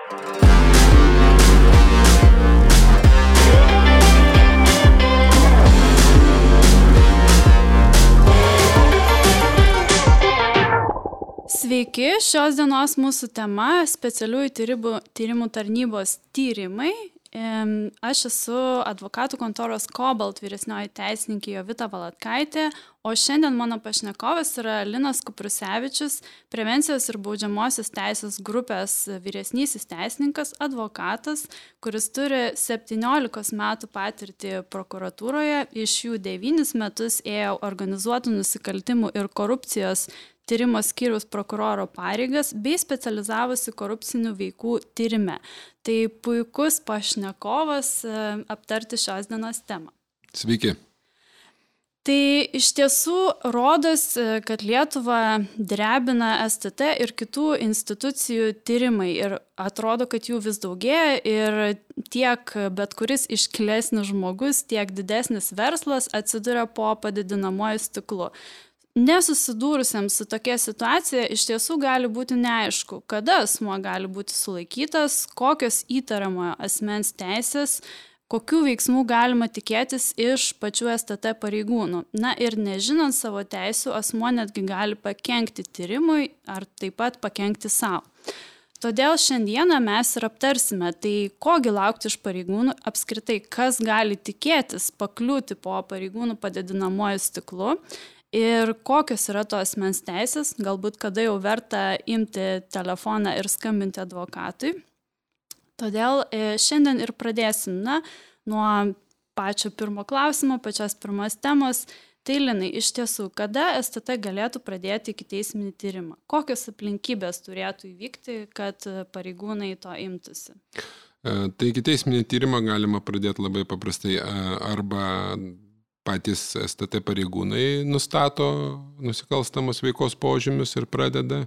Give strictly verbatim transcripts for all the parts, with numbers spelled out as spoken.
Sveiki, šios dienos mūsų tema specialiųjų tyrimų, tyrimų tarnybos tyrimai. Aš esu advokatų kontoros Cobalt vyresnioji teisininkė Jovita Valatkaitė, o šiandien mano pašnekovas yra Linas Kuprusevičius, prevencijos ir baudžiamosios teisės grupės vyresnysis teisininkas, advokatas, kuris turi septyniolikos metų patirtį prokuratūroje, iš jų devynis metus ėjo organizuotų nusikaltimų ir korupcijos tyrimo skyriaus prokuroro pareigas bei specializavosi korupcinių veikų tyrime. Tai puikus pašnekovas aptarti šios dienos temą. Sveiki. Tai iš tiesų rodos, kad Lietuvą drebina S T T ir kitų institucijų tyrimai ir atrodo, kad jų vis daugėja ir tiek bet kuris iškilesnis žmogus, tiek didesnis verslas atsiduria po padidinamuoju stiklu. Nesusidūrusiems su tokia situacija iš tiesų gali būti neaišku, kada asmuo gali būti sulaikytas, kokios įtariamojo asmens teisės, kokių veiksmų galima tikėtis iš pačių S T T pareigūnų. Na ir nežinant savo teisių, asmuo netgi gali pakenkti tyrimui ar taip pat pakenkti savo. Todėl šiandieną mes ir aptarsime, tai kogi laukti iš pareigūnų, apskritai kas gali tikėtis pakliūti po pareigūnų padidinamuoju stiklu, ir kokios yra to asmens teisės, galbūt kada jau verta imti telefoną ir skambinti advokatui. Todėl šiandien ir pradėsim na, nuo pačio pirmo klausimo, pačios pirmos temos. Tai Linai, iš tiesų, kada S T T galėtų pradėti ikiteisminį tyrimą? Kokios aplinkybės turėtų įvykti, kad pareigūnai to imtųsi? Tai ikiteisminį tyrimą galima pradėti labai paprastai arba patys S T T pareigūnai nustato nusikalstamos veikos požymius ir pradeda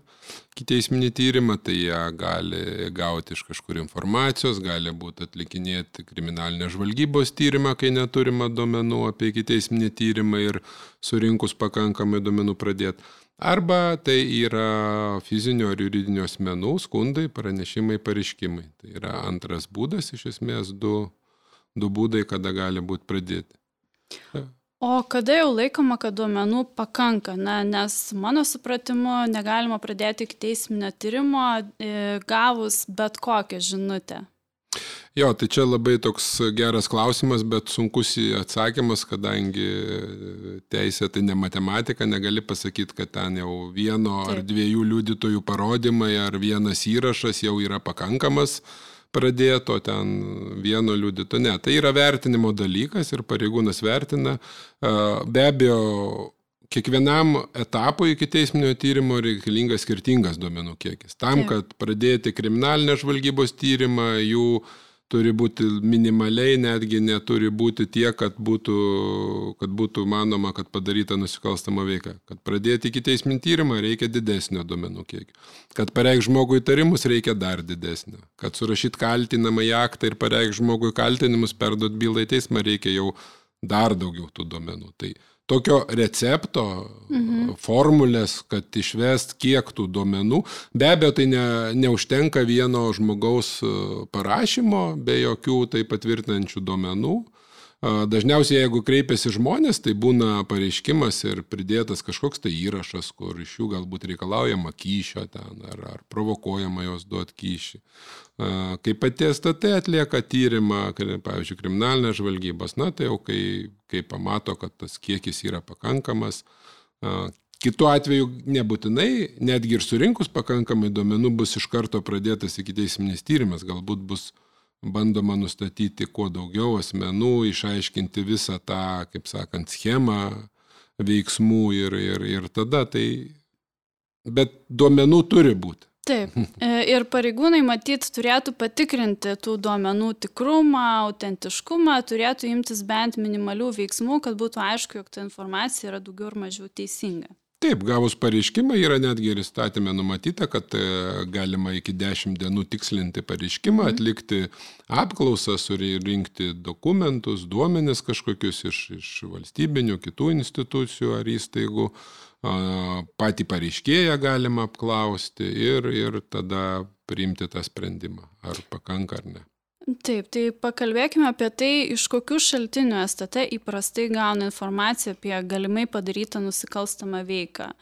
ikiteisminį tyrimą, tai jie gali gauti iš kažkur informacijos, gali būti atlikinėti kriminalinės žvalgybos tyrimą, kai neturima duomenų apie ikiteisminį tyrimą ir surinkus pakankamai duomenų pradėti. Arba tai yra fizinio ar juridinio asmenų skundai, pranešimai, pareiškimai. Tai yra antras būdas, iš esmės du, du būdai, kada gali būti pradėti. O kada jau laikoma, kad duomenų pakanka? Na, nes mano supratimu negalima pradėti ikiteisminio tyrimo gavus bet kokią žinutę. Jo, tai čia labai toks geras klausimas, bet sunkus atsakymas, kadangi teisė tai ne matematika, negali pasakyti, kad ten jau vieno Taip. Ar dviejų liudytojų parodymai ar vienas įrašas jau yra pakankamas pradėto ten vieno liudito. Ne, tai yra vertinimo dalykas ir pareigūnas vertina. Be abejo, kiekvienam etapui ikiteisminio tyrimo reikalingas skirtingas duomenų kiekis. Tam, kad pradėti kriminalinės žvalgybos tyrimą, jų turi būti minimaliai, netgi neturi būti tiek, kad būtų, kad būtų manoma, kad padaryta nusikalstama veika. Kad pradėti ikiteisminį tyrimą reikia didesnio duomenų kiekio. Kad pareikš žmogui įtarimus reikia dar didesnio. Kad surašyti kaltinamą į aktą ir pareikš žmogui kaltinimus, perduot bylą į teismą reikia jau dar daugiau tų duomenų. Tai tokio recepto, mhm. formulės, kad išvest kiek tų duomenų, be abejo, tai ne, neužtenka vieno žmogaus parašymo, be jokių tai patvirtinančių duomenų. Dažniausiai, jeigu kreipiasi žmonės, tai būna pareiškimas ir pridėtas kažkoks tai įrašas, kur iš jų galbūt reikalaujama kyšio ten, ar, ar provokuojama jos duoti kyšį. Kai pati S T T atlieka tyrimą, pavyzdžiui, kriminalinės žvalgybos, na tai jau kai, kai pamato, kad tas kiekis yra pakankamas. Kitu atveju nebūtinai, netgi ir surinkus pakankamai duomenų bus iš karto pradėtas ikiteisminis tyrimas, galbūt bus bandoma nustatyti kuo daugiau asmenų, išaiškinti visą tą, kaip sakant, schemą veiksmų ir, ir, ir tada tai, bet duomenų turi būti. Taip, ir pareigūnai matyt turėtų patikrinti tų duomenų tikrumą, autentiškumą, turėtų imtis bent minimalių veiksmų, kad būtų aišku, jog ta informacija yra daugiau ir mažiau teisinga. Taip, gavus pareiškimą yra netgi ir įstatyme numatyta, kad galima iki dešimt dienų tikslinti pareiškimą, atlikti apklausą, surinkti dokumentus, duomenis kažkokius iš, iš valstybinių, kitų institucijų ar įstaigų, patį pareiškėją galima apklausti ir, ir tada priimti tą sprendimą, ar pakanka ar ne. Taip, tai pakalbėkime apie tai, iš kokių šaltinių S T T įprastai gauna informaciją apie galimai padarytą nusikalstamą veiką.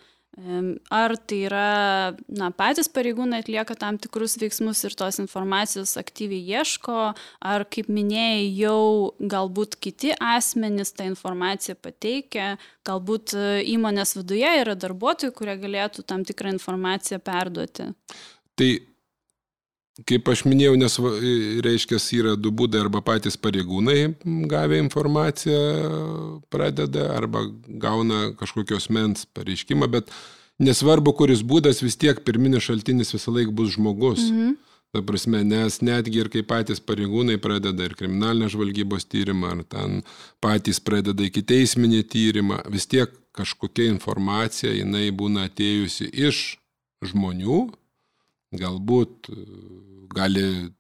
Ar tai yra, na, patys pareigūnai atlieka tam tikrus veiksmus ir tos informacijos aktyviai ieško, ar, kaip minėjai, jau galbūt kiti asmenys tą informaciją pateikia, galbūt įmonės viduje yra darbuotojų, kurie galėtų tam tikrą informaciją perduoti. Tai kaip aš minėjau, nes reiškia, yra du būdai, arba patys pareigūnai gavę informaciją pradeda, arba gauna kažkokios mens pareiškimą, bet nesvarbu, kuris būdas, vis tiek pirminis šaltinis visą laik bus žmogus. Mhm. Ta prasme, nes netgi ir kai patys pareigūnai pradeda ir kriminalinės žvalgybos tyrimą, ar ten patys pradeda ikiteisminį tyrimą, vis tiek kažkokia informacija, jinai būna atėjusi iš žmonių, galbūt gali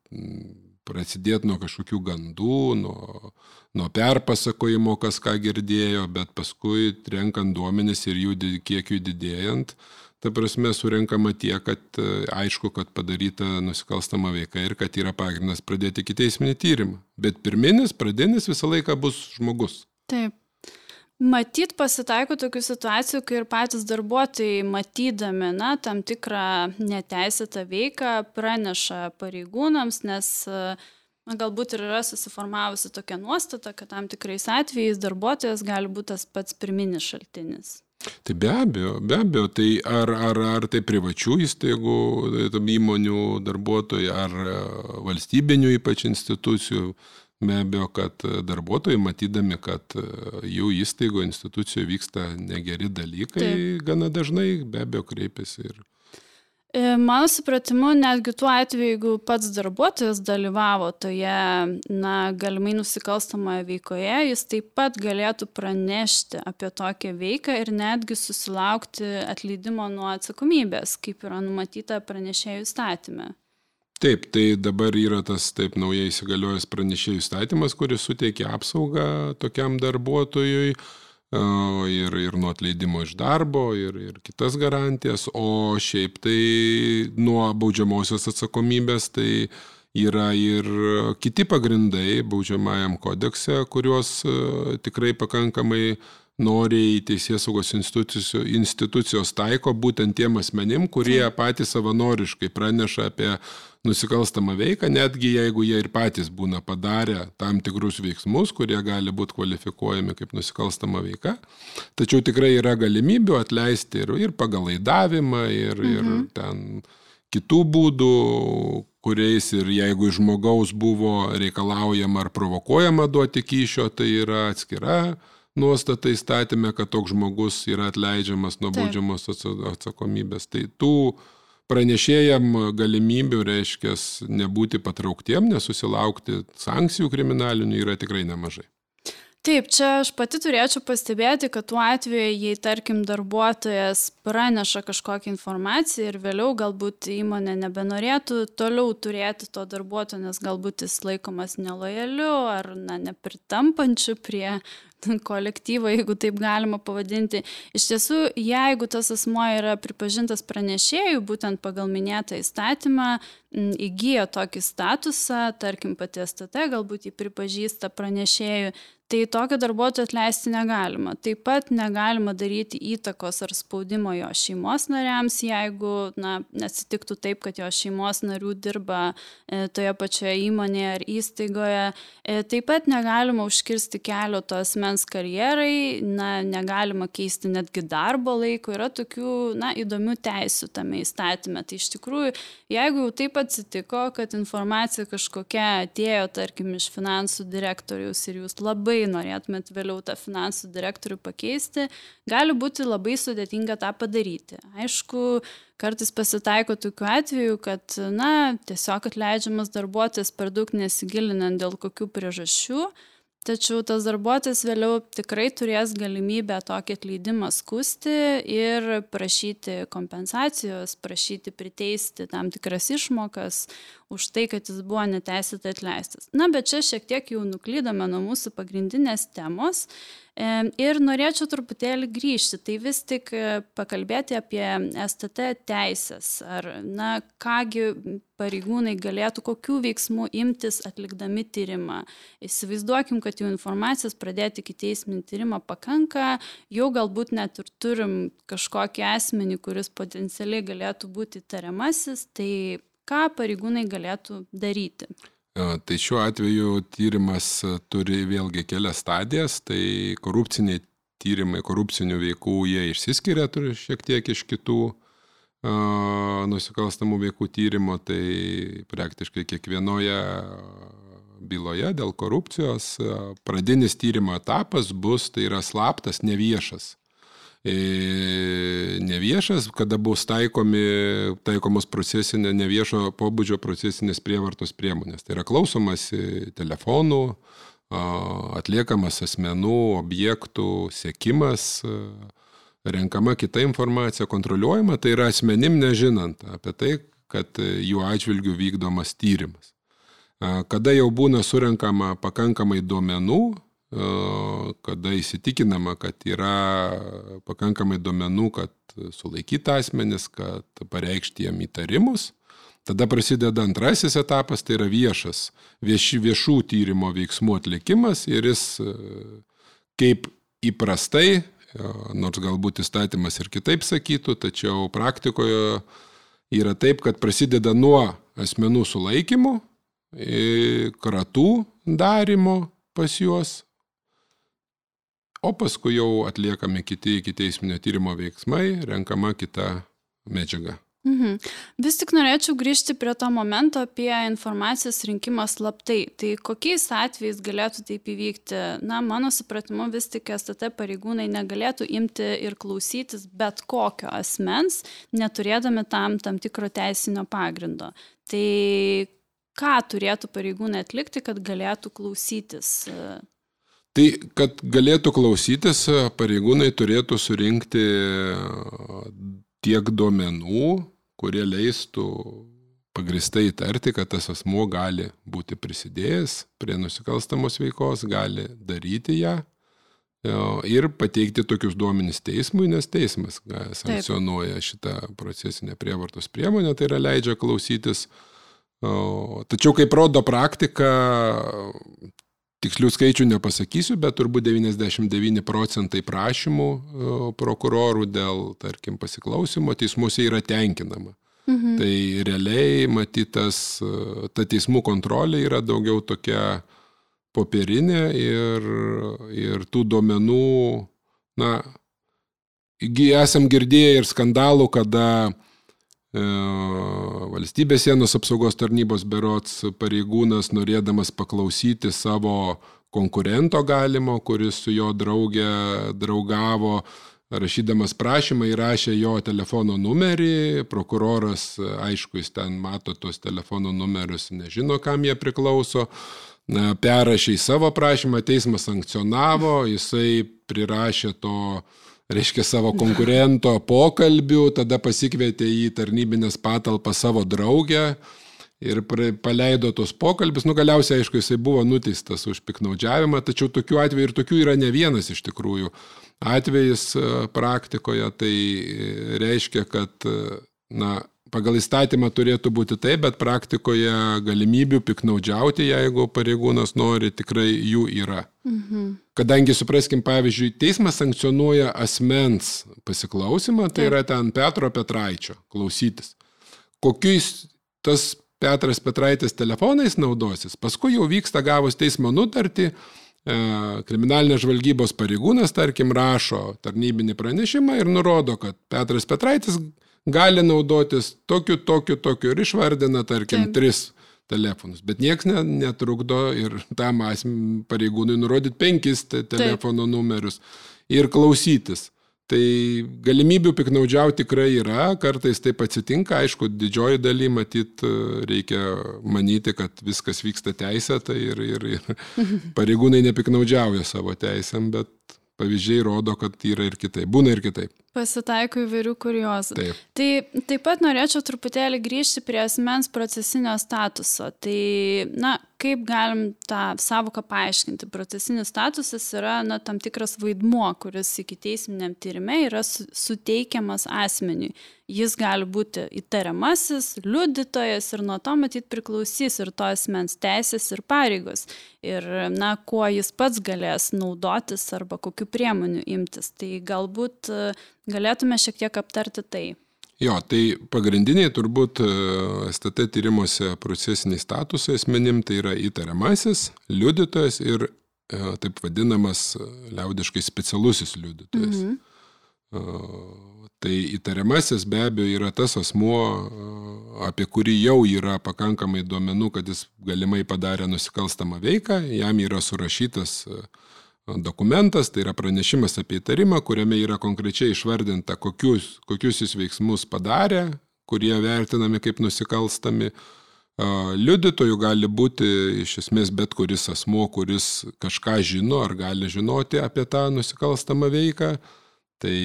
prasidėti nuo kažkokių gandų, nuo, nuo perpasakojimo, kas ką girdėjo, bet paskui renkant duomenis ir jų kiekių didėjant, ta prasme surenkama tiek, kad aišku, kad padaryta nusikalstama veika ir kad yra pagrindas pradėti ikiteisminį tyrimą. Bet pirminis, pradinis visą laiką bus žmogus. Taip. Matyt, pasitaiko tokių situacijų, kai ir patys darbuotojai matydami, na, tam tikrą neteisėtą veiką praneša pareigūnams, nes na, galbūt ir yra susiformavusi tokia nuostata, kad tam tikrais atvejais darbuotojas gali būti tas pats pirminis šaltinis. Tai be abejo, be abejo, tai ar, ar, ar tai privačių įstaigų, įmonių darbuotojai, ar valstybinių ypač institucijų. Be abejo, kad darbuotojai, matydami, kad jų įstaigo institucijų vyksta negeri dalykai, taip, gana dažnai be abejo kreipiasi. Ir... Mano supratimu, netgi tuo atveju, jeigu pats darbuotojas dalyvavo toje, na, galimai nusikalstamoje veikoje, jis taip pat galėtų pranešti apie tokią veiką ir netgi susilaukti atleidimo nuo atsakomybės, kaip yra numatyta pranešėjų įstatyme. Taip, tai dabar yra tas taip naujai įsigaliojęs pranešėjų įstatymas, kuris suteikia apsaugą tokiam darbuotojui ir, ir nuo atleidimo iš darbo ir, ir kitas garantijas, o šiaip tai nuo baudžiamosios atsakomybės tai yra ir kiti pagrindai baudžiamajam kodekse, kuriuos tikrai pakankamai noriai teisėsaugos institucijos, institucijos taiko būtent tiem asmenim, kurie patys savanoriškai praneša apie nusikalstamą veiką, netgi jeigu jie ir patys būna padarę tam tikrus veiksmus, kurie gali būti kvalifikuojami kaip nusikalstama veika. Tačiau tikrai yra galimybių atleisti ir, ir pagal laidavimą, ir, mhm. ir ten kitų būdų, kuriais ir jeigu iš žmogaus buvo reikalaujama ar provokuojama duoti kyšio, tai yra atskira nuostata įstatyme, kad toks žmogus yra atleidžiamas nuo baudžiamos atsakomybės. Tai tų pranešėjam galimybių, reiškia, nebūti patrauktiem, nesusilaukti sankcijų kriminalinių yra tikrai nemažai. Taip, čia aš pati turėčiau pastebėti, kad tuo atveju, jei tarkim darbuotojas praneša kažkokią informaciją ir vėliau galbūt įmonė nebenorėtų toliau turėti to darbuotojo, nes galbūt jis laikomas nelojaliu ar na, nepritampančiu prie kolektyvo, jeigu taip galima pavadinti. Iš tiesų, jeigu tas asmuo yra pripažintas pranešėjų, būtent pagal minėtą įstatymą, įgyja tokį statusą, tarkim pati S T T galbūt jį pripažįsta pranešėjų, tai tokio darbuotojo atleisti negalima. Taip pat negalima daryti įtakos ar spaudimo jo šeimos nariams, jeigu na, neatsitiktų taip, kad jo šeimos narių dirba e, toje pačioje įmonėje ar įstaigoje. E, taip pat negalima užkirsti kelio to asmens karjerai, na, negalima keisti netgi darbo laiko. Yra tokių na, įdomių teisių tame įstatyme. Tai iš tikrųjų, jeigu jau taip atsitiko, kad informacija kažkokia atėjo, tarkim, iš finansų direktoriaus ir jūs labai norėtumėt vėliau tą finansų direktorių pakeisti, gali būti labai sudėtinga tą padaryti. Aišku, kartais pasitaiko tokių atvejų, kad na, tiesiog atleidžiamas darbuotojas per daug nesigilinant dėl kokių priežasčių, tačiau tas darbuotojas vėliau tikrai turės galimybę tokį atleidimą skusti ir prašyti kompensacijos, prašyti priteisti tam tikras išmokas už tai, kad jis buvo neteisėtai atleistas. Na, bet čia šiek tiek jau nuklydome nuo mūsų pagrindinės temos. Ir norėčiau truputėlį grįžti, tai vis tik pakalbėti apie S T T teisės, ar, na, kągi pareigūnai galėtų, kokių veiksmų imtis atlikdami tyrimą. Įsivaizduokim, kad jau informacijos pradėti ikiteisminį tyrimą pakanka, jau galbūt net ir turim kažkokį asmenį, kuris potencialiai galėtų būti tariamasis, tai ką pareigūnai galėtų daryti? Tai šiuo atveju tyrimas turi vėlgi kelias stadijas, tai korupciniai tyrimai, korupcinių veikų jie išsiskiria turi šiek tiek iš kitų uh, nusikalstamų veikų tyrimo, tai praktiškai kiekvienoje byloje dėl korupcijos uh, pradinis tyrimo etapas bus, tai yra slaptas, neviešas. Neviešas, kada bus taikomi, taikomos procesinė, neviešo pobūdžio procesinės prievartos priemonės. Tai yra klausomasi telefonų, atliekamas asmenų, objektų, sekimas, renkama kita informacija, kontroliuojama, tai yra asmenim nežinant apie tai, kad jų atžvilgių vykdomas tyrimas. Kada jau būna surenkama pakankamai duomenų, kada įsitikinama, kad yra pakankamai duomenų, kad sulaikyta asmenis, kad pareikšti jam įtarimus. Tada prasideda antrasis etapas, tai yra viešas, vieši, viešų tyrimo veiksmų atlikimas ir jis kaip įprastai, nors galbūt įstatymas ir kitaip sakytų, tačiau praktikoje yra taip, kad prasideda nuo asmenų sulaikymų, kratų darimo pas juos, o paskui jau atliekami kiti ikiteisminio tyrimo veiksmai, renkama kita medžiaga. Mhm. Vis tik norėčiau grįžti prie to momento apie informacijos rinkimą slaptai. Tai kokiais atvejais galėtų taip įvykti? Na, mano supratimu, vis tik S T T pareigūnai negalėtų imti ir klausytis bet kokio asmens, neturėdami tam tam tikro teisinio pagrindo. Tai ką turėtų pareigūnai atlikti, kad galėtų klausytis? Tai, kad galėtų klausytis, pareigūnai turėtų surinkti tiek duomenų, kurie leistų pagristai įtarti, kad tas asmuo gali būti prisidėjęs prie nusikalstamos veikos, gali daryti ją ir pateikti tokius duomenis teismui, nes teismas sankcionuoja šitą procesinę prievartos priemonę, tai yra leidžia klausytis. Tačiau, kaip rodo praktika, tikslių skaičių nepasakysiu, bet turbūt devyniasdešimt devyni procentai prašymų prokurorų dėl, tarkim, pasiklausimo teismuose yra tenkinama. Mhm. Tai realiai matytas, ta teismų kontrolė yra daugiau tokia popierinė ir, ir tų duomenų, na, esam girdėję ir skandalų, kada valstybės sienos apsaugos tarnybos berods pareigūnas, norėdamas paklausyti savo konkurento galimo, kuris su jo draugė draugavo, rašydamas prašymą įrašė jo telefono numerį, prokuroras, aišku, jis ten mato tos telefono numerius, nežino, kam jie priklauso, perrašė į savo prašymą, teismas sankcionavo, jisai prirašė to, reiškia, savo konkurento pokalbių, tada pasikvietė į tarnybinės patalpą savo draugę ir paleido tos pokalbius. Nu, galiausiai, aišku, jisai buvo nuteistas už piknaudžiavimą, tačiau tokių atvejų ir tokių yra ne vienas iš tikrųjų atvejis praktikoje. Tai reiškia, kad, na, pagal įstatymą turėtų būti taip, bet praktikoje galimybių piknaudžiauti, jeigu pareigūnas nori, tikrai jų yra. Mhm. Kadangi, supraskim, pavyzdžiui, teismas sankcionuoja asmens pasiklausimą, tai yra ten Petro Petraičio klausytis. Kokiais tas Petras Petraitis telefonais naudosis, paskui jau vyksta gavus teismo nutartį, kriminalinės žvalgybos pareigūnas, tarkim, rašo tarnybinį pranešimą ir nurodo, kad Petras Petraitis gali naudotis tokiu, tokiu, tokiu ir išvardina, tarkim, Taip. tris telefonus. Bet nieks netrukdo ir tam pareigūnui nurodyti penkis te telefono Taip. numerius ir klausytis. Tai galimybių piknaudžiauti tikrai yra, kartais taip atsitinka, aišku, didžioji daly matyt reikia manyti, kad viskas vyksta teisėtai ir, ir, ir pareigūnai nepiknaudžiauja savo teisėm, bet pavyzdžiai rodo, kad yra ir kitaip. Būna ir kitaip. Pasitaiko įvairių kuriozų. Taip. Tai taip pat norėčiau truputėlį grįžti prie asmens procesinio statuso. Tai, na, kaip galim tą savoką paaiškinti? Procesinis statusas yra, na, tam tikras vaidmuo, kuris ikiteisminiam tyrime yra suteikiamas asmeniui. Jis gali būti įtariamasis, liudytojas ir nuo to matyt priklausys ir to asmens teisės ir pareigos. Ir, na, kuo jis pats galės naudotis arba kokiu priemonių imtis. Tai galbūt galėtume šiek tiek aptarti tai. Jo, tai pagrindiniai turbūt S T T tyrimuose procesiniai statusai asmenim, tai yra įtariamasis, liudytojas ir taip vadinamas liaudiškai specialusis liudytojas. Mhm. Tai įtariamasis be abejo yra tas asmuo, apie kurį jau yra pakankamai duomenų, kad jis galimai padarė nusikalstamą veiką, jam yra surašytas dokumentas, tai yra pranešimas apie įtarimą, kuriame yra konkrečiai išvardinta, kokius, kokius jis veiksmus padarė, kurie vertinami kaip nusikalstami. Liudytojų gali būti iš esmės bet kuris asmuo, kuris kažką žino ar gali žinoti apie tą nusikalstamą veiką. Tai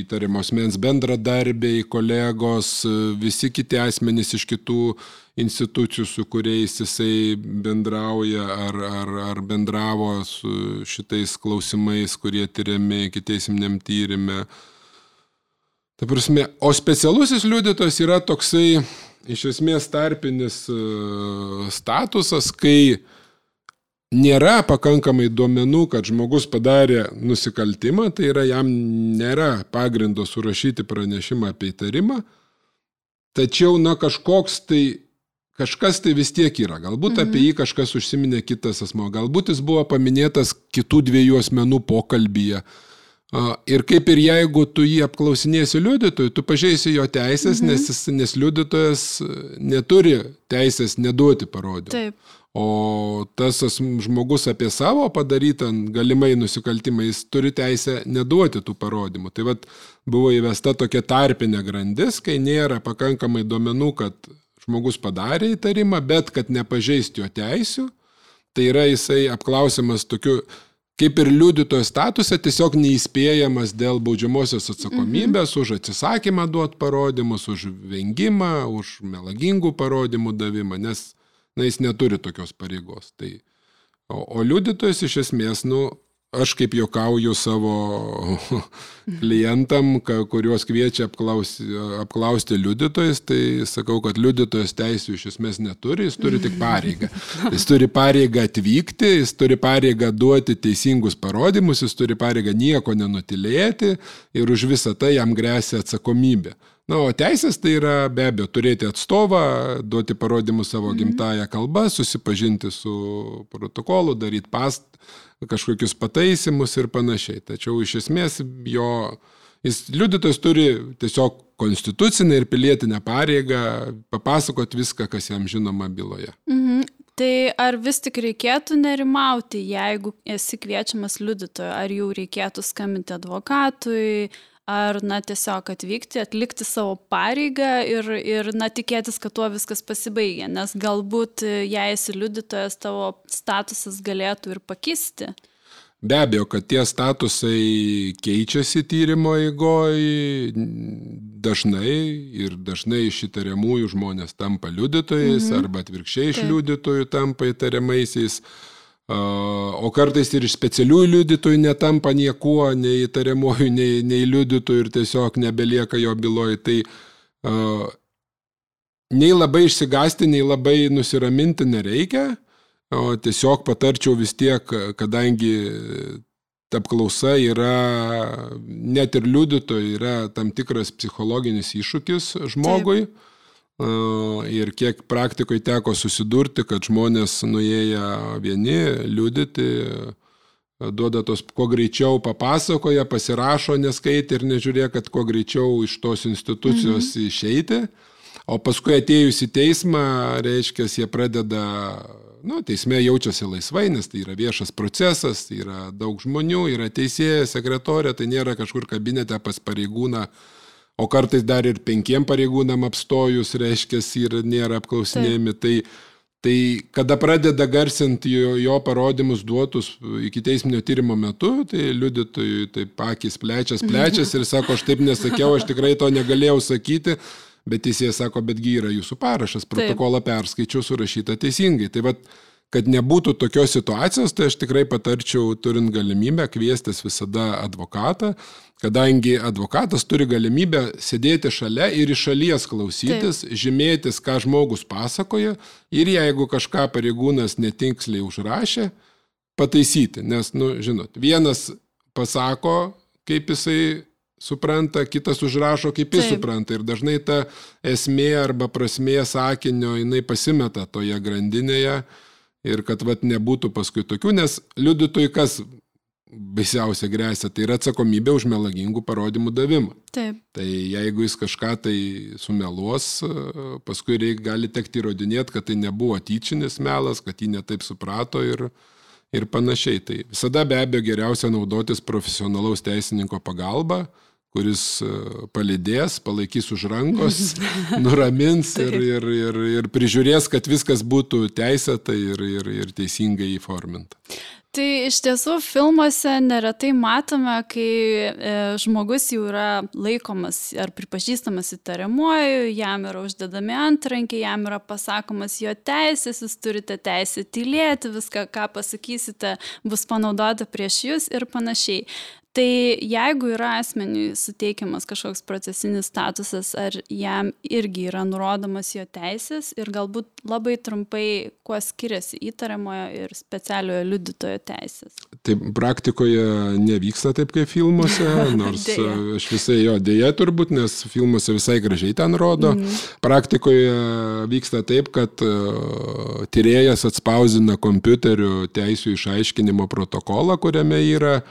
įtariamo asmens bendradarbiai, kolegos, visi kiti asmenys iš kitų institucijų, su kuriais jisai bendrauja ar, ar, ar bendravo su šitais klausimais, kurie tyriami ikiteisminiam tyrime. Ta prasme, o specialusis liudytojas yra toksai iš esmės tarpinis statusas, kai nėra pakankamai duomenų, kad žmogus padarė nusikaltimą, tai yra jam nėra pagrindo surašyti pranešimą apie įtarimą, tačiau, na, kažkoks tai, kažkas tai vis tiek yra. Galbūt mhm. apie jį kažkas užsiminė kitas asmuo, galbūt jis buvo paminėtas kitų dviejų asmenų pokalbyje. Ir kaip ir jeigu tu jį apklausinėsi liudytojui, tu pažeisi jo teisės, mhm. nes, nes liudytojas neturi teisės neduoti parodymų. Taip. O tas žmogus apie savo padarytą galimai nusikaltimą, jis turi teisę neduoti tų parodymų. Tai vat buvo įvesta tokia tarpinė grandis, kai nėra pakankamai duomenų, kad žmogus padarė įtarimą, bet kad nepažeisti jo teisių, tai yra jisai apklausiamas tokiu, kaip ir liudytojo statuse, tiesiog neįspėjamas dėl baudžiamosios atsakomybės, mhm. už atsisakymą duoti parodymus, už vengimą, už melagingų parodymų davimą, nes na, jis neturi tokios pareigos. Tai, o, o liudytojas iš esmės, nu, aš kaip juokauju savo klientam, kuriuos kviečia apklausti, apklausti liudytojas, tai sakau, kad liudytojas teisių iš esmės neturi, jis turi tik pareigą. Jis turi pareigą atvykti, jis turi pareigą duoti teisingus parodymus, jis turi pareigą nieko nenutilėti ir už visą tai jam gresia atsakomybė. Na, o teisės tai yra be abejo turėti atstovą, duoti parodymus savo gimtąją kalbą, susipažinti su protokolu, daryti past, kažkokius pataisymus ir panašiai. Tačiau iš esmės jo, jis liudytojas turi tiesiog konstitucinę ir pilietinę pareigą papasakoti viską, kas jam žinoma byloje. Mhm. Tai ar vis tik reikėtų nerimauti, jeigu esi kviečiamas liudytojo, ar jau reikėtų skambinti advokatui, ar, na, tiesiog atvykti, atlikti savo pareigą ir, ir na, tikėtis, kad tuo viskas pasibaigia, nes galbūt, jei esi liudytojas, tavo statusas galėtų ir pakisti. Be abejo, kad tie statusai keičiasi tyrimo eigoj dažnai ir dažnai iš įtariamųjų žmonės tampa liudytojais, mhm. arba atvirkščiai iš liudytojų tampa įtariamaisiais. O kartais ir iš specialiųjų liudytojų netampa niekuo, nei įtariamųjų, nei, nei liudytojų ir tiesiog nebelieka jo byloj. Tai uh, nei labai išsigąsti, nei labai nusiraminti nereikia, o tiesiog patarčiau vis tiek, kadangi apklausa yra, net ir liudytojų, yra tam tikras psichologinis iššūkis žmogui. Taip. Ir kiek praktikoje teko susidurti, kad žmonės nuėję vieni liudyti, duoda tos kuo greičiau papasakoja, pasirašo, neskaitė ir nežiūrė, kad kuo greičiau iš tos institucijos mhm. išeiti. O paskui atėjus į teismą, reiškia, jie pradeda, nu, teisme jaučiasi laisvai, nes tai yra viešas procesas, tai yra daug žmonių, yra teisėja, sekretorė, tai nėra kažkur kabinete pas pareigūną. O kartais dar ir penkiem pareigūnam apstojus, reiškia, ir nėra apklausinėjami. Tai, Tai kada pradeda garsinti jo, jo parodymus duotus iki teisminio tyrimo metu, tai liudytojui taip akis plečias, plečias ir sako, aš taip nesakiau, aš tikrai to negalėjau sakyti, bet teisėjas sako, betgi yra jūsų parašas, protokolą perskaičiau, surašyta teisingai. Tai vat, kad nebūtų tokios situacijos, tai aš tikrai patarčiau, turint galimybę, kviestis visada advokatą, kadangi advokatas turi galimybę sėdėti šalia ir iš šalies klausytis, Taip. žymėtis, ką žmogus pasakoja ir jeigu kažką pareigūnas netiksliai užrašė, pataisyti. Nes, nu, žinot, vienas pasako, kaip jisai supranta, kitas užrašo, kaip jis Taip. supranta. Ir dažnai ta esmė arba prasmė sakinio, jinai pasimeta toje grandinėje ir kad vat, nebūtų paskui tokių, nes liudytojui kas baisiausia grėsia, tai yra atsakomybė už melagingų parodymų davimą. Taip. Tai jeigu jis kažką tai sumeluos, paskui reik, gali tekti įrodinėti, kad tai nebuvo tyčinis melas, kad jį netaip suprato ir, ir panašiai. Tai visada be abejo geriausia naudotis profesionalaus teisininko pagalba, kuris palydės, palaikys už rankos, nuramins ir, ir, ir, ir prižiūrės, kad viskas būtų teisėta ir, ir, ir teisingai įforminta. Tai iš tiesų filmuose neretai matome, kai e, žmogus jau yra laikomas ar pripažįstamas įtariamuoju, jam yra uždedami antrankiai, jam yra pasakomas jo teisės, jūs turite teisę tylėti, viską, ką pasakysite, bus panaudota prieš jūs ir panašiai. Tai jeigu yra asmeniui suteikiamas kažkoks procesinis statusas, ar jam irgi yra nurodomas jo teisės ir galbūt labai trumpai, kuo skiriasi įtariamojo ir specialiojo liudytojo teisės? Tai praktikoje nevyksta taip kaip filmuose, nors aš visai jo dėja turbūt, nes filmuose visai gražiai ten rodo. Mm. Praktikoje vyksta taip, kad tyrėjas atspausdina kompiuteriu teisių išaiškinimo protokolą, kuriame yra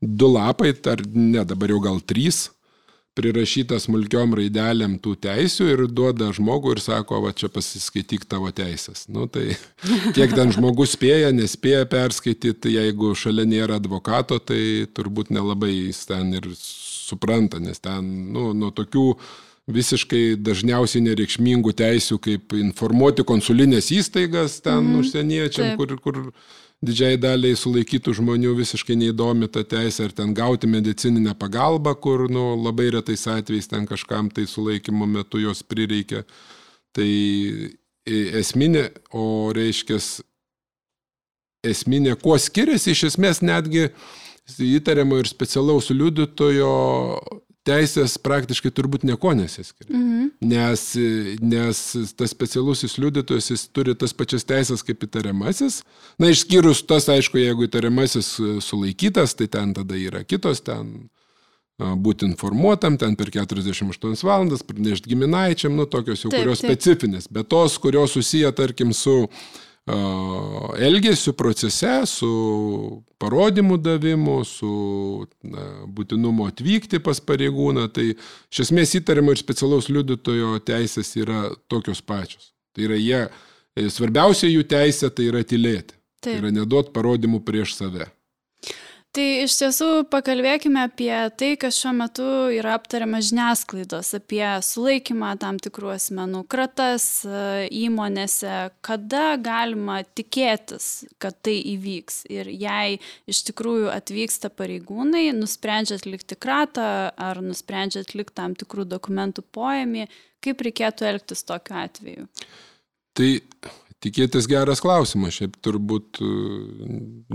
du lapai, ar ne, dabar jau gal trys, prirašyta smulkiom raidelėm tų teisių ir duoda žmogų ir sako, va čia pasiskaityk tavo teisės. Nu, tai kiek ten žmogus spėja, nespėja perskaityti, jeigu šalia nėra advokato, tai turbūt nelabai jis ten ir supranta, nes ten, nu, nuo tokių visiškai dažniausiai nereikšmingų teisių, kaip informuoti konsulinės įstaigas ten mm, užsieniečiam, kur, kur didžiai daliai sulaikytų žmonių visiškai neįdomi ta teisė, ar ten gauti medicininę pagalbą, kur nu, labai retais atvejais ten kažkam tai sulaikymo metu jos prireikia. Tai esminė, o reiškias esminė, kuo skiriasi, iš esmės netgi įtariamo ir specialaus liudytojo teisės praktiškai turbūt nieko nesiskiria. Mhm. Nes, nes tas specialusis liudytojas, jis turi tas pačias teisės kaip įtariamasis. Na, išskyrus tas, aišku, jeigu įtariamasis sulaikytas, tai ten tada yra kitos, ten būti informuotam, ten per keturiasdešimt aštuonias valandas, pranešti giminaičiam, nu, tokios jau, taip, kurios taip. specifinės. Bet tos, kurios susiję, tarkim, su elgesiu procese, su parodymų davimu, su na, būtinumo atvykti pas pareigūną, tai iš esmės įtariamo ir specialaus liudytojo teisės yra tokios pačios. Tai yra jie, svarbiausia jų teisė tai yra tylėti. Taip. Tai yra neduot parodymų prieš save. Tai iš tiesų pakalbėkime apie tai, kas šiuo metu yra aptariama žiniasklaidos, apie sulaikymą tam tikrų asmenų, kratas įmonėse, kada galima tikėtis, kad tai įvyks. Ir jei iš tikrųjų atvyksta pareigūnai, nusprendžia atlikti kratą ar nusprendžia atlikti tam tikrų dokumentų poėmį, kaip reikėtų elgtis tokiu atveju? Tai tikėtis geras klausimas, šiaip turbūt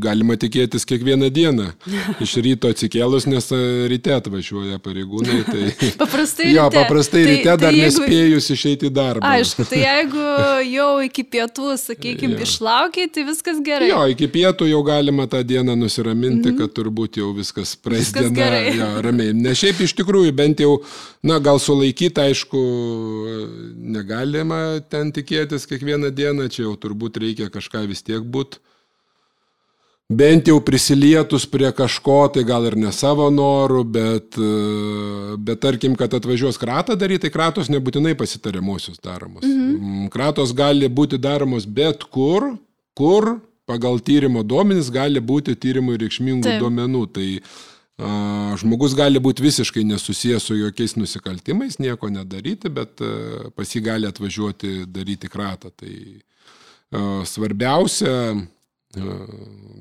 galima tikėtis kiekvieną dieną. Iš ryto atsikėlus, nes ryte atvažiuoja pareigūnai. Tai, paprastai jo, ryte. Paprastai tai, ryte tai dar jeigu, nespėjus išeiti į darbą. Aišku, tai jeigu jau iki pietų, sakykime, išlaukiai, tai viskas gerai. Jo, iki pietų jau galima tą dieną nusiraminti, mm-hmm. kad turbūt jau viskas praeis viskas diena. Jo, ramiai. Ne šiaip iš tikrųjų, bent jau, na, gal sulaikyti, aišku, negalima ten tikėtis kiekvieną dieną. Čia jau turbūt reikia kažką vis tiek būt. Bent jau prisilietus prie kažko, tai gal ir ne savo norų, bet, bet tarkim, kad atvažiuos kratą daryti, tai kratos nebūtinai pasitariamuosius daromos. Mhm. Kratos gali būti daromos bet kur, kur pagal tyrimo duomenis gali būti tyrimui reikšmingų Taip. duomenų. Tai a, žmogus gali būti visiškai nesusijęs su jokiais nusikaltimais, nieko nedaryti, bet a, pas jį gali atvažiuoti daryti kratą. Tai Svarbiausia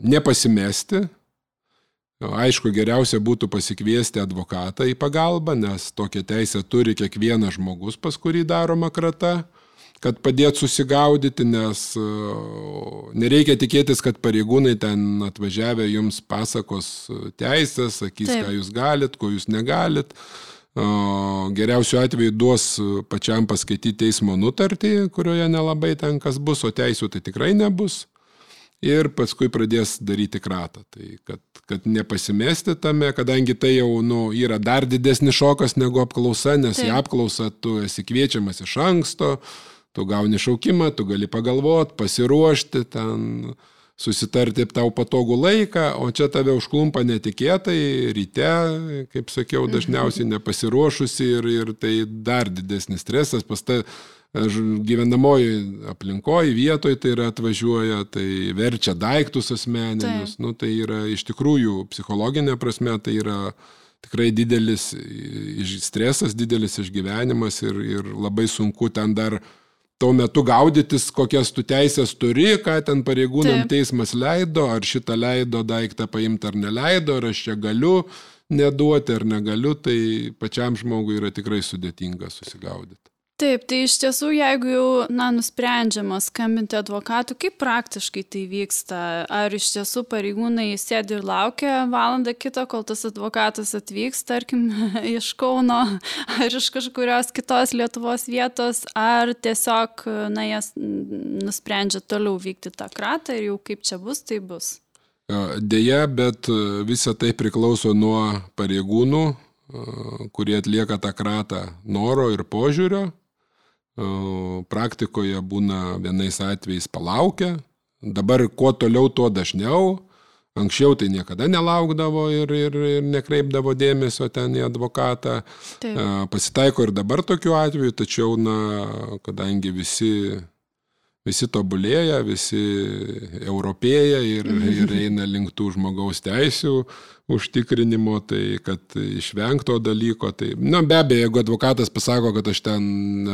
nepasimesti. Aišku, geriausia būtų pasikviesti advokatą į pagalbą, nes tokią teisę turi kiekvienas žmogus, pas kurį daroma krata, kad padėtų susigaudyti, nes nereikia tikėtis, kad pareigūnai ten atvažiavę jums pasakos teisės, sakys, Taip. Ką jūs galit, ko jūs negalit. Geriausiu atveju duos pačiam paskaityti teismo nutartį, kurioje nelabai ten kas bus, o teisų tai tikrai nebus. Ir paskui pradės daryti kratą. Tai kad, kad nepasimesti tame, kadangi tai jau nu, yra dar didesnis šokas negu apklausa, nes Taip. Į apklausą tu esi kviečiamas iš anksto, tu gauni šaukimą, tu gali pagalvoti, pasiruošti, ten susitarti tau patogų laiką, o čia tave užklumpa netikėtai, ryte, kaip sakiau, dažniausiai nepasiruošusi ir, ir tai dar didesnis stresas, pas ta gyvenamoji aplinkoje, vietoje tai yra atvažiuoja, tai verčia daiktus asmeninius, nu, tai yra iš tikrųjų psichologinė prasme, tai yra tikrai didelis stresas, didelis išgyvenimas ir, ir labai sunku ten dar tuo metu gaudytis, kokias tu teisės turi, ką ten pareigūnam Taip. Teismas leido, ar šitą leido daiktą paimti ar neleido, ar aš čia galiu neduoti ar negaliu, tai pačiam žmogui yra tikrai sudėtinga susigaudyti. Taip, tai iš tiesų, jeigu jau na, nusprendžiama skambinti advokatų, kaip praktiškai tai vyksta? Ar iš tiesų pareigūnai sėdi ir laukia valandą kitą, kol tas advokatas atvyks, tarkim, iš Kauno ar iš kažkurios kitos Lietuvos vietos, ar tiesiog na, jas nusprendžia toliau vykti tą kratą ir jau kaip čia bus, tai bus? Deja, bet visa tai priklauso nuo pareigūnų, kurie atlieka tą kratą noro ir požiūrio. Praktikoje būna vienais atvejais palaukia. Dabar kuo toliau, tuo dažniau. Anksčiau tai niekada nelaukdavo ir, ir, ir nekreipdavo dėmesio ten į advokatą. Taip. Pasitaiko ir dabar tokių atvejų, tačiau, na, kadangi visi, visi tobulėja, visi europėja ir, ir eina link tų žmogaus teisių užtikrinimo, tai kad išvengto dalyko. Tai, na, be abejo, jeigu advokatas pasako, kad aš ten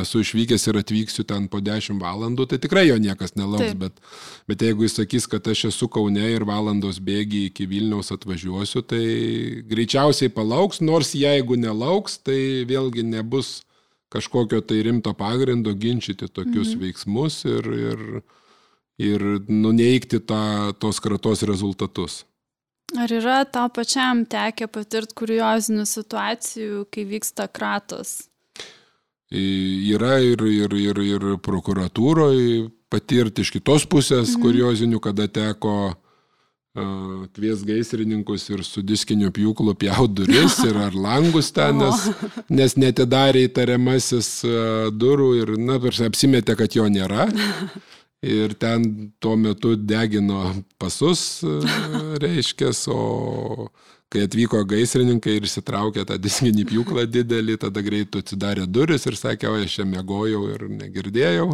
esu išvykęs ir atvyksiu ten po dešimt valandų, tai tikrai jo niekas nelauks, bet, bet jeigu jis sakys, kad aš esu Kaune ir valandos bėgi iki Vilniaus atvažiuosiu, tai greičiausiai palauks, nors jeigu nelauks, tai vėlgi nebus kažkokio tai rimto pagrindo ginčyti tokius mhm. veiksmus ir, ir, ir nuneigti tą, tos kratos rezultatus. Ar yra tau pačiam tekę patirti kuriozinių situacijų, kai vyksta kratos? Yra ir, ir, ir, ir prokuratūroje patirti iš kitos pusės mhm. kuriozinių, kada teko uh, kvies gaisrininkus ir su diskiniu pjūklu pjaut duris ir ar langus ten, nes, nes netidarė įtariamasis uh, durų ir na, apsimetė, kad jo nėra. Ir ten tuo metu degino pasus, reiškės, o kai atvyko gaisrininkai ir įsitraukė tą diskinį pjūklą didelį, tada greitai atsidarė duris ir sakė, o aš čia miegojau ir negirdėjau.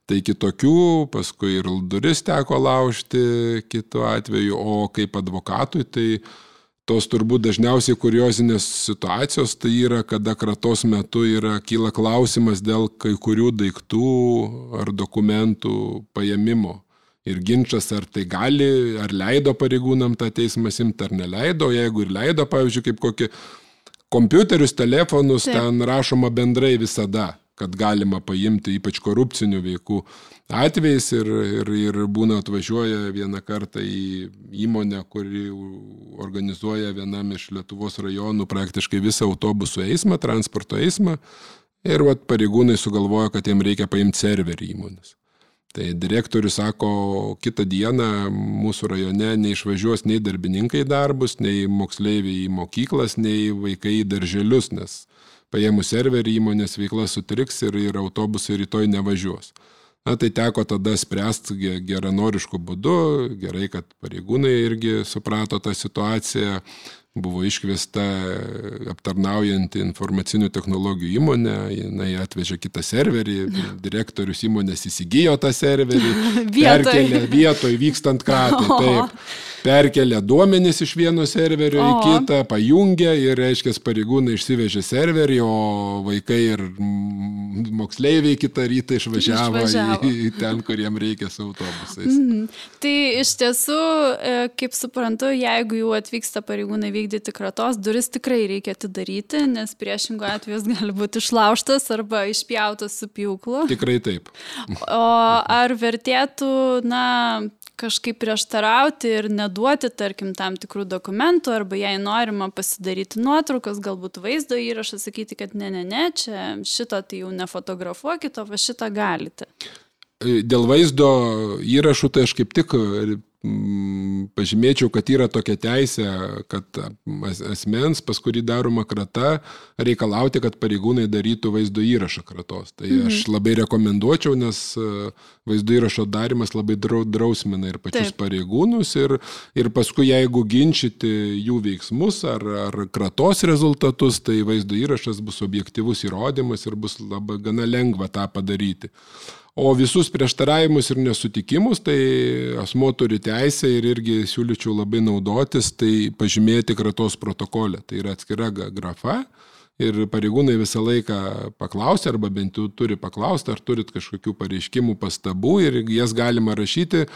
Tai kitokių, paskui ir duris teko laužti kitu atveju, o kaip advokatui, tai tos turbūt dažniausiai kuriozinės situacijos, tai yra, kada kratos metu yra, kyla klausimas dėl kai kurių daiktų ar dokumentų paėmimo. Ir ginčas, ar tai gali, ar leido pareigūnam tą teismą imti, ar neleido. Jeigu ir leido, pavyzdžiui, kaip kokį kompiuterius, telefonus, Taip. Ten rašoma bendrai visada, kad galima paimti, ypač korupcinių veikų atvejais ir, ir, ir būna atvažiuoja vieną kartą į įmonę, kuri organizuoja vienam iš Lietuvos rajonų praktiškai visą autobusų eismą, transporto eismą ir vat, pareigūnai sugalvojo, kad jiem reikia paimti serverį įmonės. Tai direktorius sako, kitą dieną mūsų rajone neišvažiuos nei darbininkai į darbus, nei moksleiviai į mokyklas, nei vaikai į darželius, nes paėmus serverį įmonės veikla sutriks ir, ir autobusai rytoj nevažiuos. Na, tai teko tada spręsti geranoriškų būdų, gerai, kad pareigūnai irgi suprato tą situaciją, buvo iškviesta aptarnaujanti informacinių technologijų įmonė, jinai atvežė kitą serverį, direktorius įmonės įsigijo tą serverį, perkelė vietoj vykstant kratai, taip. perkelia duomenis iš vieno serverio o. į kitą, pajungia ir, reiškia, pareigūnai išsivežė serverį, o vaikai ir moksleiviai kitą rytą išvažiavo, išvažiavo. Į, į ten, kur jiem reikia su autobusais. Mm. Tai iš tiesų, kaip suprantu, jeigu jau atvyksta pareigūnai vykdyti kratos, duris tikrai reikia atidaryti, nes priešingų atveju gali būti išlaužtas arba išpjautas su pjūklu. Tikrai taip. O ar vertėtų, na, kažkaip prieštarauti ir neduoti, tarkim, tam tikrų dokumentų, arba jei norima pasidaryti nuotraukas, galbūt vaizdo įrašą, sakyti, kad ne, ne, ne, čia šito tai jau nefotografuokit, o va šitą galite. Dėl vaizdo įrašų tai aš kaip tik pažymėčiau, kad yra tokia teisė, kad asmens, pas kurį daroma krata, reikalauti, kad pareigūnai darytų vaizdo įrašą kratos. Tai mhm. aš labai rekomenduočiau, nes vaizdo įrašo darimas labai drausmina ir pačius Taip. pareigūnus ir, ir paskui, jeigu ginčyti jų veiksmus ar, ar kratos rezultatus, tai vaizdo įrašas bus objektyvus įrodymas ir bus labai gana lengva tą padaryti. O visus prieštaravimus ir nesutikimus, tai asmuo turi teisę ir irgi siūlyčiau labai naudotis, tai pažymėti kratos protokole. Tai yra atskira grafa ir pareigūnai visą laiką paklausia, arba bent jau turi paklausti, ar turit kažkokių pareiškimų, pastabų ir jas galima rašyti.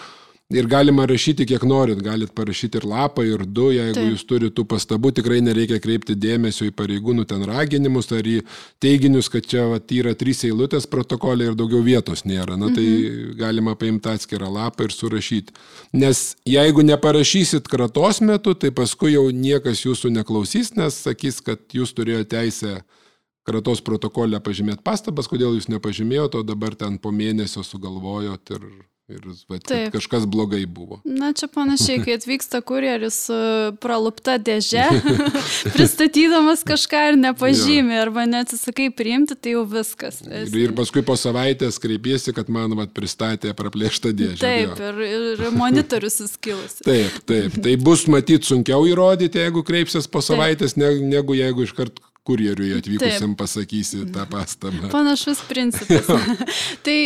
Ir galima rašyti kiek norit, galit parašyti ir lapą, ir du, jeigu Taip. Jūs turite tų pastabų, tikrai nereikia kreipti dėmesio į pareigūnų ten raginimus ar į teiginius, kad čia vat, yra trys eilutės protokolė ir daugiau vietos nėra. Na tai mhm. galima paimti atskirą lapą ir surašyti. Nes jeigu neparašysit kratos metu, tai paskui jau niekas jūsų neklausys, nes sakys, kad jūs turėjote teisę kratos protokolę pažymėti pastabas, kodėl jūs nepažymėjote, o dabar ten po mėnesio sugalvojot ir... Ir vat, kažkas blogai buvo. Na, čia panašiai, kai atvyksta kurjeris su pralupta dėže, pristatydamas kažką ir nepažymė, ja. arba neatsisakai priimti, tai jau viskas. Ir, ir paskui po savaitės kreipiesi, kad man vat, pristatė praplėštą dėžę. Taip, ja. ir, ir monitorius suskilusi. Taip, taip. Tai bus matyti sunkiau įrodyti, jeigu kreipsies po savaitės, ne, negu jeigu iškart kurjeriui atvykusiam Taip. pasakysi tą pastabą. Panašus principas. Tai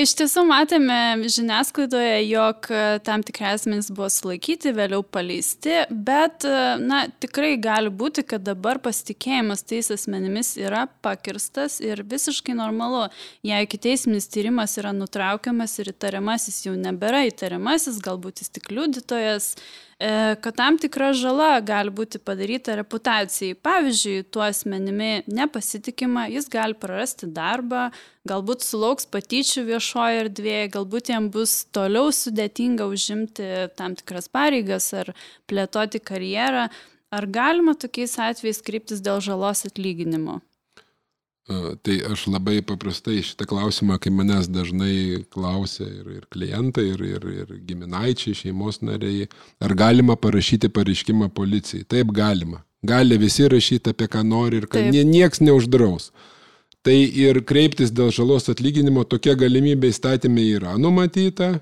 iš tiesų matėme žiniasklaidoje, jog tam tikri asmenys buvo sulaikyti, vėliau paleisti, bet na, tikrai gali būti, kad dabar pasitikėjimas tais asmenimis yra pakirstas ir visiškai normalu. Jei ikiteisminis tyrimas yra nutraukiamas ir įtariamasis jau nebėra įtariamasis, galbūt jis tik liudytojas, kad tam tikra žala gali būti padaryta reputacijai. Pavyzdžiui, tuo asmenimi nepasitikima, jis gali prarasti darbą, galbūt sulauks patyčių viešoje erdvėje, galbūt jam bus toliau sudėtinga užimti tam tikras pareigas ar plėtoti karjerą. Ar galima tokiais atvejais kreiptis dėl žalos atlyginimo? Tai aš labai paprastai šitą klausimą, kai manęs dažnai klausia ir, ir klientai, ir, ir, ir giminaičiai, šeimos nariai, ar galima parašyti pareiškimą policijai? Taip, galima. Gali visi rašyti apie ką nori ir kad nieks neuždraus. Tai ir kreiptis dėl žalos atlyginimo tokia galimybė įstatymė yra numatyta.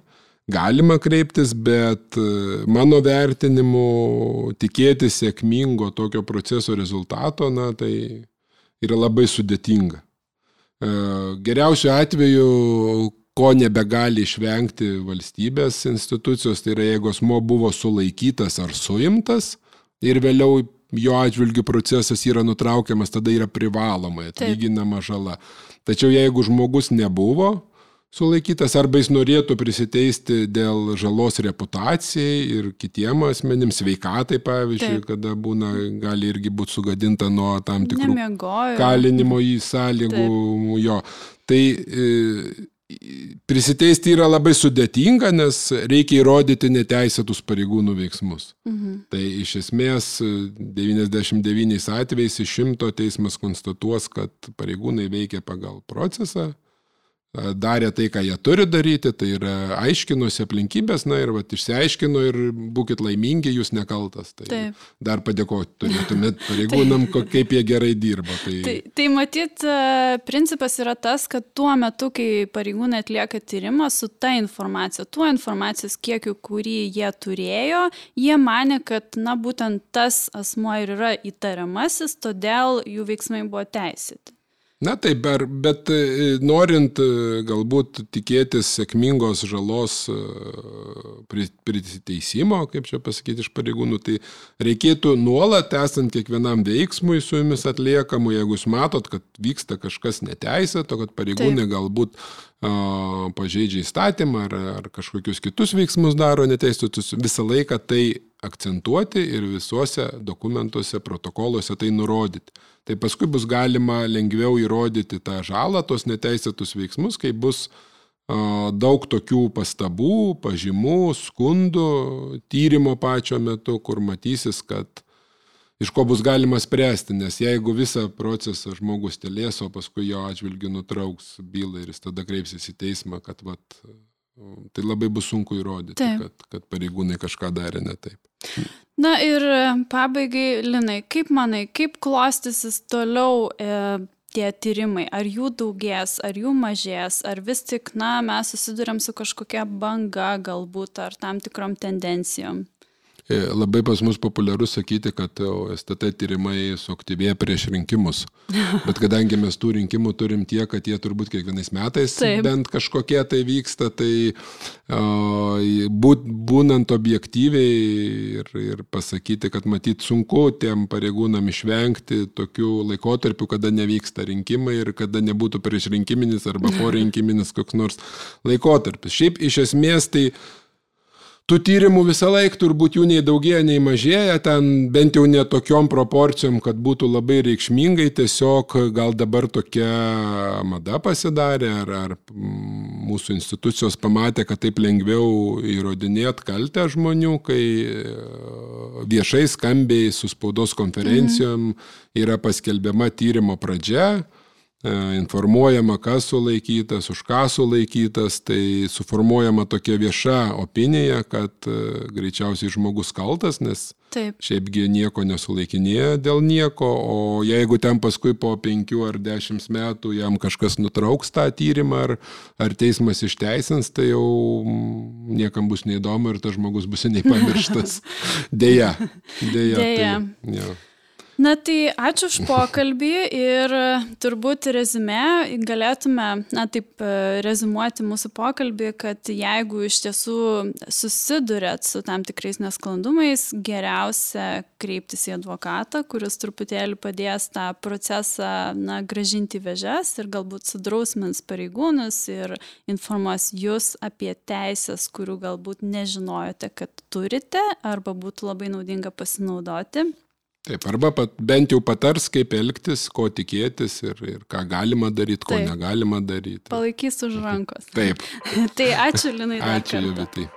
Galima kreiptis, bet mano vertinimu tikėtis sėkmingo tokio proceso rezultato, na tai yra labai sudėtinga. Geriausiu atveju, ko nebegali išvengti valstybės institucijos, tai yra jeigu asmuo buvo sulaikytas ar suimtas ir vėliau jo atžvilgių procesas yra nutraukiamas, tada yra privalomai atlyginama žala. Tačiau jeigu žmogus nebuvo sulaikytas arba jis norėtų prisiteisti dėl žalos reputacijai ir kitiem asmenim, sveikatai pavyzdžiui, Taip. kada būna, gali irgi būti sugadinta nuo tam tikrų Nemiegojo. kalinimo į sąlygų Taip. jo. Tai e, prisiteisti yra labai sudėtinga, nes reikia įrodyti neteisėtus pareigūnų veiksmus. Mhm. Tai iš esmės devyniasdešimt devyniais atvejais iš šimto teismas konstatuos, kad pareigūnai veikia pagal procesą, darė tai, ką jie turi daryti, tai yra aiškinosi aplinkybės, na ir vat, išsiaiškino ir būkit laimingi, jūs nekaltas. Tai Taip. dar padėkoti turėtumėt pareigūnam, kaip jie gerai dirba. Tai... Tai, tai matyt, principas yra tas, kad tuo metu, kai pareigūnai atlieka tyrimą su ta informacija, tuo informacijos kiekiu, kurį jie turėjo, jie manė, kad na, būtent tas asmuo ir yra įtariamasis, todėl jų veiksmai buvo teisėti. Na taip, bet norint galbūt tikėtis sėkmingos žalos prisiteisimo, kaip čia pasakyti, iš pareigūnų, tai reikėtų nuolat, esant kiekvienam veiksmui su jumis atliekamu, jeigu jūs matot, kad vyksta kažkas neteisėto, kad pareigūnai taip. Galbūt a, pažeidžia įstatymą ar, ar kažkokius kitus veiksmus daro neteisėtus, visą laiką tai akcentuoti ir visuose dokumentuose, protokoluose tai nurodyti. Tai paskui bus galima lengviau įrodyti tą žalą, tos neteisėtus veiksmus, kai bus a, daug tokių pastabų, pažymų, skundų, tyrimo pačio metu, kur matysis, kad iš ko bus galima spręsti, nes jeigu visą procesą žmogus tylės, o paskui jo atžvilgiu nutrauks bylą ir jis tada kreipsis į teismą, kad vat, tai labai bus sunku įrodyti, kad, kad pareigūnai kažką darė ne taip. Na ir pabaigai, Linai, kaip manai, kaip klostysis toliau e, tie tyrimai? Ar jų daugės, ar jų mažės, ar vis tik, na, mes susiduriam su kažkokia banga galbūt, ar tam tikrom tendencijom? Labai pas mus populiaru sakyti, kad S T T tyrimai suaktyvėja prieš rinkimus. Bet kadangi mes tų rinkimų turim tiek, kad jie turbūt kiekvienais metais Taip. Bent kažkokie tai vyksta, tai uh, būt, būnant objektyviai ir, ir pasakyti, kad matyt sunku tiem pareigūnam išvengti tokių laikotarpių, kada nevyksta rinkimai ir kada nebūtų prieš rinkiminis arba po rinkiminis koks nors laikotarpis. Šiaip iš esmės tai tų tyrimų visą laiką turbūt jų nei daugėja, nei mažėja, ten bent jau ne tokiom proporcijom, kad būtų labai reikšmingai, tiesiog gal dabar tokia mada pasidarė, ar, ar mūsų institucijos pamatė, kad taip lengviau įrodinėt kaltę žmonių, kai viešai skambiai su spaudos konferencijom yra paskelbiama tyrimo pradžia, informuojama, kas sulaikytas, už ką sulaikytas, tai suformuojama tokia vieša opinija, kad greičiausiai žmogus kaltas, nes Taip. Šiaipgi nieko nesulaikinėja dėl nieko, o jeigu ten paskui po penkių ar dešimt metų jam kažkas nutrauks tą tyrimą, ar, ar teismas išteisins, tai jau niekam bus neįdomu ir tas žmogus bus seniai pamirštas. Deja. Deja. Deja. Tai, ja. Na tai ačiū už pokalbį ir turbūt rezime galėtume, na taip, rezumuoti mūsų pokalbį, kad jeigu iš tiesų susidurėt su tam tikrais nesklandumais, geriausia kreiptis į advokatą, kuris truputėlį padės tą procesą, na, grąžinti vėžes ir galbūt sudrausmins pareigūnus ir informuos jūs apie teisės, kurių galbūt nežinojote, kad turite, arba būtų labai naudinga pasinaudoti. Taip, arba pat, bent jau patars, kaip elgtis, ko tikėtis ir, ir ką galima daryti, ko Taip. Negalima daryti. Palaikys už rankos. Taip. Tai ačiū, Linai. Ačiū, Jovitai.